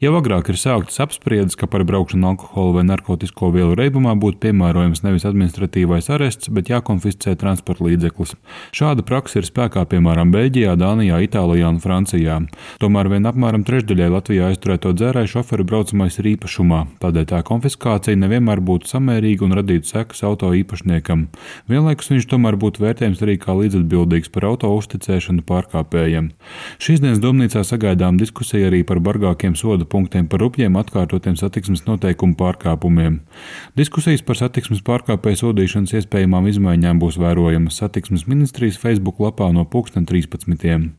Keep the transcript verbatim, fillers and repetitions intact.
Jau agrāk ir sāktas apspriedes, ka par braukšanu alkohola vai narkotisko vielu reibumā būtu piemērojams nevis administratīvais arests, bet jākonfiscē transporta līdzeklis. Šāda praksa ir spēkā piemēram Beļģijā, Dānijā, Itālijā un Francijā. Tomēr vien apmēram trešdaļai Latvijā aizturēto dzērāju šoferu braucamais ir īpašumā, tādēļ tā konfiskācija nevienmēr būtu samērīga un radītu sekas auto īpašniekam. Vienlaikus viņš tomēr būtu vērtējams arī kā līdzatbildīgs par auto uzticēšanu pārkāpējiem. Šīs dienas Domnīcā sagaidām diskusija arī par bargākiem soda punktiem par rupjiem atkārtotiem satiksmes noteikumu pārkāpumiem. Diskusijas par satiksmes pārkāpēju sodīšanas iespējamām izmaiņām būs vērojamas Satiksmes ministrijas Facebook lapā no pulksten trīspadsmitiem.